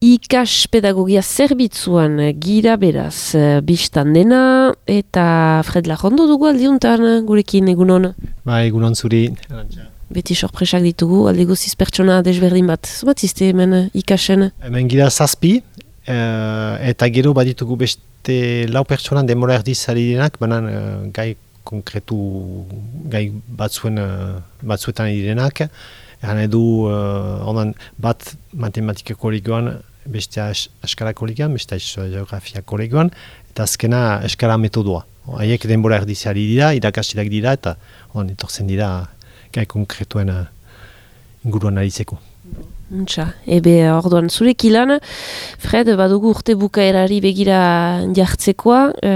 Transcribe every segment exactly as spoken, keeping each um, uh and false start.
Ikas pedagogia zerbitzuan gira beraz, bistan dena, eta Fred Lajondo dugu aldiuntan gurekin egunon. Ba, egunon zuri. Beti sorpresak ditugu, aldi guziz pertsona desberdin bat. Zubat izte hemen ikasen? Hemen gira zazpi, eta gero baditugu beste lau pertsonan demora erdiz ari denak, banan gai konkretu, gai batzuen, batzuetan ari denak. Eran edu, uh, bat matematika kolegioan, beste eskala kolegioan, beste geografia kolegioan, eta azkena eskala metodoa. Haiek denbora erdiziari dira, irakasiak dira, eta on, etortzen dira gai konkretuen uh, inguruan aritzeko. Untxa, ebe orduan zurek ilan, Fred, badugu urte bukaerari begira jartzekoa, e,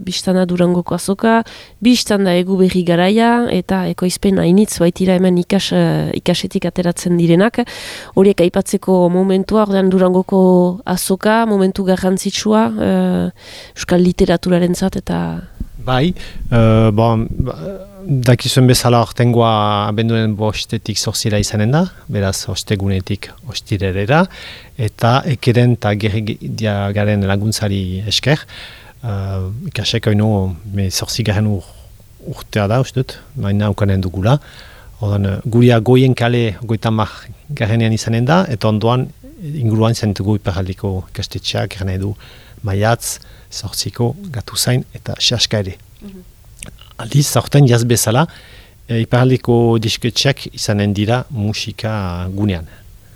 biztana Durangoko azoka, biztanda egu berri garaia, eta ekoizpen hainitz baitira hemen ikas, ikasetik ateratzen direnak. Horiek aipatzeko momentua, orduan Durangoko azoka, momentu garrantzitsua, e, euskal literaturaren zat, eta... Bai, uh, bon, dakizuen bezala ortengoa abenduen bostetik zortzira izanen da, beraz ostegunetik ostirerera, eta ekeren eta gerria garen laguntzari esker, uh, ikasek oinu me zortzigaren ur, urtea da, ustut, baina ukanen dugula. Odan, guria goien kale goitamak garenean izanen da, eta ondoan inguruan izan dugu iparaldiko ikastetxeak, garen edu maiatz, zortziko, gatu zain eta xaska ere. Mm-hmm. Aldiz, zaurten jaz bezala, e, iparaldiko disketxeak izanen dira musika gunean.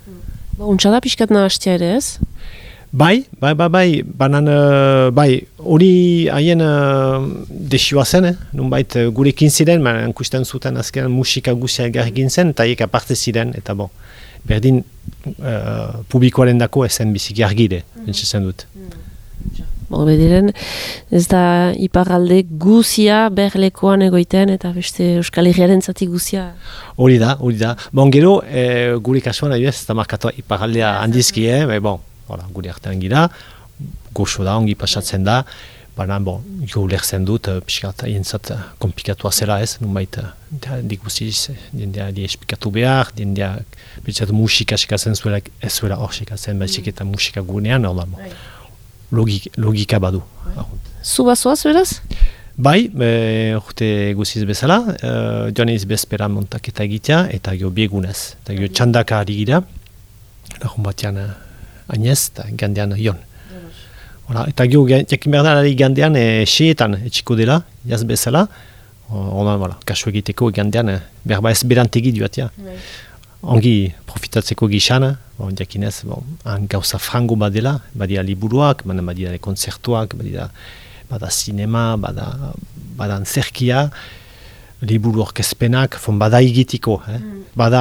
Mm. Ba, untxada pixkat nahastia ere ez? Bai, bai, bai, bai, banan, uh, bai, hori haien uh, desioa zen, eh? Nunbait uh, gurekin ziren, baina ikusten zuten azken musika guzia egarrekin zen, eta haiek aparte ziren, eta bon, berdin uh, publikoaren dako ezen biziki argire, mm-hmm. Bentsatzen dut. Mm. Bo, bediren, ez da iparralde guzia berlekoan egoiten eta beste Euskal Herriaren zati guzia. Hori da, hori da. Bon, gero, e, gure kasuan adibidez, ez da markatu iparraldea handizki, eh? Be, bon, hola, gure artean gira, goxo da, ongi pasatzen da, baina, bon, jo lerzen dut, pixkat, hientzat komplikatua zela ez, nunbait, diguziz, diendea di esplikatu behar, diendea, bitxat musika sekatzen zuela, ez zuela hor sekatzen, baizik eta musika gunean, hor da, bon. Logik, logika badu. Zu bazoaz, beraz? Bai, e, urte guziz bezala, e, joan ez bezpera montaketa egitea, eta gio biegunez. Eta gio txandaka ari gira, lagun batean ainez, eta gandean jon. Hola, eta gio, jakin behar da, ari gandean e, seetan etxiko dela, jaz bezala, ona, voilà, kasu egiteko gandean, berba ez berantegi duatia. Ongi profitatzeko gixan, bon, jakinez, bon, han gauza frango badela, badira liburuak, baina badira konzertuak, badira bada sinema, bada, bada antzerkia, liburu orkezpenak, bada igitiko, eh? Mm. Bada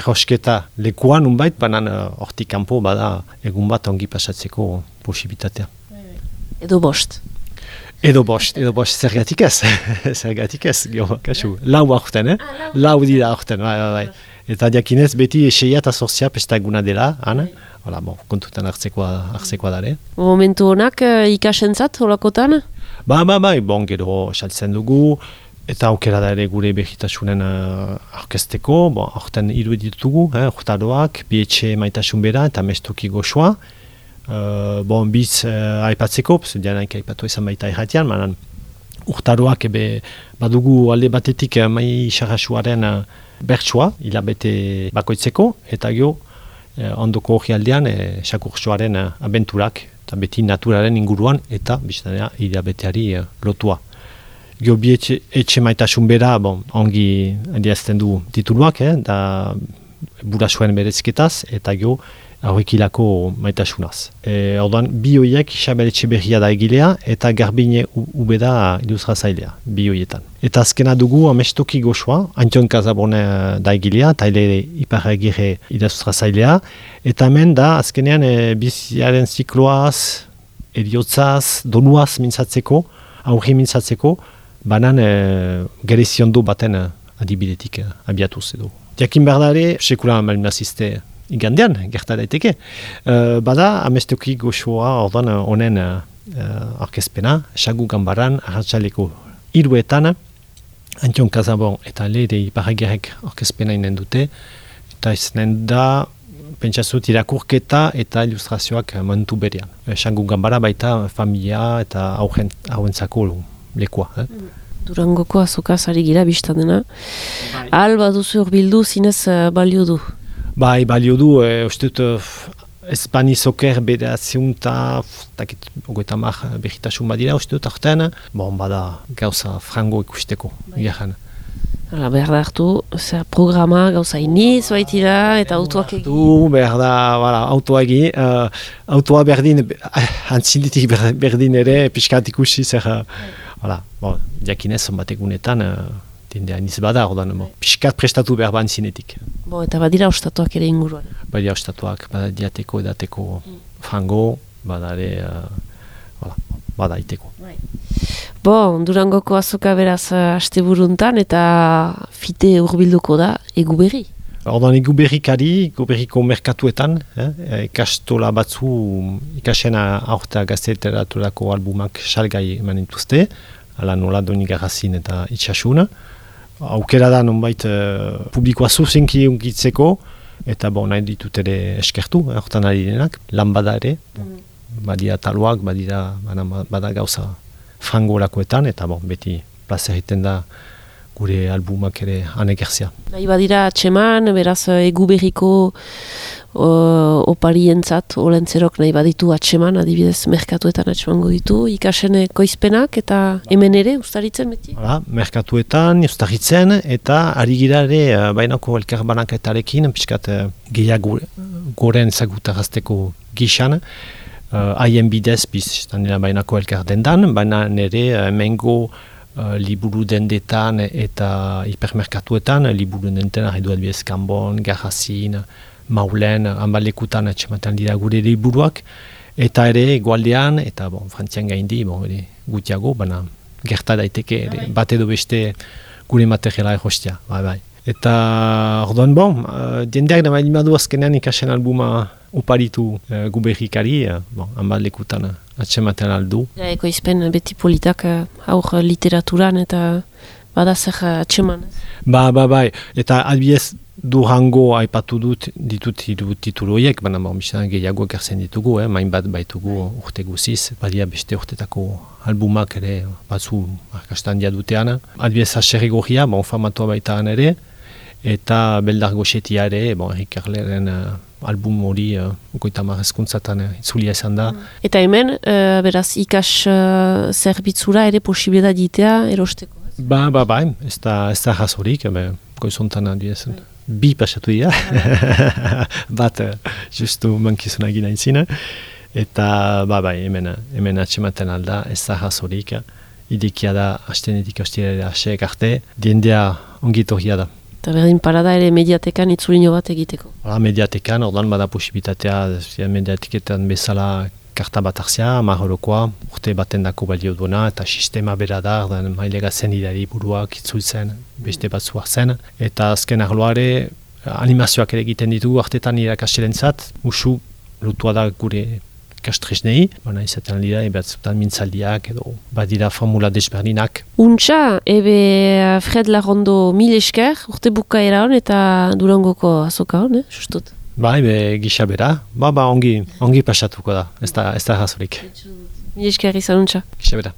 errosketa lekuan unbait, baina hortik kanpo bada egun bat ongi pasatzeko posibitatea. Edo bost. Edo bost, edo bost, zergatik ez, zergatik ez, gio, kasu, lau aurten, eh? Ah, lau dira aurten, bai, bai, bai. Eta diakinez beti eseia eta zorzia pestaguna dela, han? Hala, bon, kontutan hartzekoa, hartzekoa dare. Momentu honak uh, ikasentzat, holakotan? Ba, ba, ba, bon, gero saltzen dugu, eta aukera da ere gure behitasunen uh, orkesteko, bon, aurten hiru ditugu, eh, urtaroak, bietxe maitasun bera eta mestoki goxoa. Uh, bon, biz uh, aipatzeko, dianaik aipatu izan baita erratian, manan urtaroak ebe badugu alde batetik uh, mai xarrasuaren uh, bertsua, hilabete bakoitzeko, eta gero eh, ondoko hori aldean eh, sakurtsoaren eh, abenturak, eta beti naturaren inguruan, eta biztanea hilabeteari eh, lotua. Gero bi etxe, etxe maitasun bera, bon, ongi adiazten du tituluak, eh, da burasuen berezketaz, eta gero aurrekilako maitasunaz. E, orduan, bi horiek Isabel Etxeberria da egilea, eta Garbine Ube da ilustratzailea, bi horietan. Eta azkena dugu amestoki goxoa, Antion Kazabone da egilea, eta ere iparragire ilustratzailea, eta hemen da azkenean e, biziaren zikloaz, eriotzaz, donuaz mintzatzeko, aurri mintzatzeko, banan e, gereziondo baten adibidetik e, abiatuz edo. Jakin berdare, sekula malminazizte igandean, gerta daiteke. Uh, bada, amestoki goxoa ordan honen uh, orkezpena, Sagu Gambaran, arratsaleko hiruetan, Antion Kazabon eta Lede Iparragirek orkezpena inen dute, eta izanen da pentsazut irakurketa eta ilustrazioak momentu berean. Esangu ganbara baita familia eta hauen, hauentzako lekua. Eh? Durangoko azokaz ari gira biztan dena. Bai. Al baduzu urbildu zinez uh, balio du? Bai, balio du, e, uste dut Espani Soker bedatziunta, takit, ogoeta mar behitasun badira, uste dut artean, bon, bada gauza frango ikusteko, garen. Hala, behar da hartu, zer programa gauza iniz baitira eta autoak egin. Du, behar da, voilà, autoa egin, uh, autoa berdin, antzinditik berdin ere, pixkat ikusi zer, uh, voilà, bon, jakinez, zonbat egunetan, uh, dindea iniz bada, ordan, bon, pixkat prestatu behar ban zinetik. Bo, eta badira ostatuak ere inguruan. Badira ostatuak, bada diateko, edateko mm. frango, bada ere, uh, voilà, bada iteko. Right. Bo, Durangoko azoka beraz asteburuntan eta fite hurbilduko da Eguberri. Ordan Eguberrikari, Eguberriko merkatuetan, eh, ikastola batzu ikasena aurtea gazteteraturako albumak salgai eman dituzte, ala nola Doni Garrazin eta Itxasuna. Aukera da nonbait uh, publikoa zuzenki unkitzeko, eta bon, nahi ditut ere eskertu, hortan eh, ari denak, lan bada ere, mm. badira taloak, badira bada gauza frango lakoetan, eta bon, beti plaza egiten da gure albumak ere anegerzia. Nahi badira atxeman, beraz Eguberriko uh, oparientzat, olentzerok nahi baditu atxeman, adibidez merkatuetan atxemango ditu, ikasen koizpenak eta hemen ere ustaritzen beti? Hala, merkatuetan, ustaritzen, eta ari gira ere uh, bainako elkar banaketarekin, pixkat uh, gehiago goren zagutarazteko gixan, haien uh, bidez, biztan dira bainako elkar dendan, baina nire uh, mengo uh, liburu dendetan eta hipermerkatuetan, liburu dendetan arredu adibidez Kanbon, Garrazin, Maulen, hanbalekutan atxematen dira gure liburuak, eta ere egualdean, eta bon, frantzian gaindi, bon, ere gutiago, baina gerta daiteke, ere, bat edo beste gure materiala erostia, bai, bai. Eta orduan, bon, uh, diendeak da malimadu azkenean ikasen albuma oparitu uh, Guberrikari, uh, bon, hanbat lekutan uh, atxematen aldu. Ja, ekoizpen beti politak uh, aur literaturan eta bada zer uh, atxeman. Ba, ba, bai, eta adibidez Durango aipatu dut ditut hiru titulu horiek, baina bon, bizan gehiago ekartzen ditugu, eh, main bat baitugu urte guziz, badia beste urtetako albumak ere batzu arkastan diadutean. Adibidez Haserri Gorria, bon, famatua baitaan ere, eta Beldar Goxetia ere, bon, Erik Erleren uh, album hori uh, okoita marrezkuntzatan uh, itzulia izan da. Eta hemen, uh, beraz, ikas uh, zerbitzura ere posibilidad ditea erosteko? Ba, ba, ba, ez da, ez da jazorik, goizontan adibidez. Bi pasatu dira, bat uh, justu mankizuna egin aintzina, eta ba, ba, hemen, hemen atxematen alda, ez da jazorik, idekia da, hastenetik hostilera aseek arte, diendea ongitorria da. Eta berdin parada ere mediatekan itzulino bat egiteko? Hala, mediatekan, ordan bada posibilitatea, mediatiketan bezala karta bat hartzia, marrolokoa, urte baten dako balio duena, eta sistema bera da, ordan mailega zen idari buruak itzultzen, beste batzu hartzen, eta azken arloare animazioak ere egiten ditu, artetan irakastelentzat, usu lutua da gure ikastresnei, baina izaten dira, ebatzutan mintzaldiak edo badira formula desberdinak. Untxa, ebe Fred Larrondo mil esker, urte bukaera hon eta Durangoko azoka hon, eh, justut? Ba, ebe gisa bera, ba, ba, ongi, ongi pasatuko da, ez da, ez da razorik. Mil esker izan untxa. Gisa bera.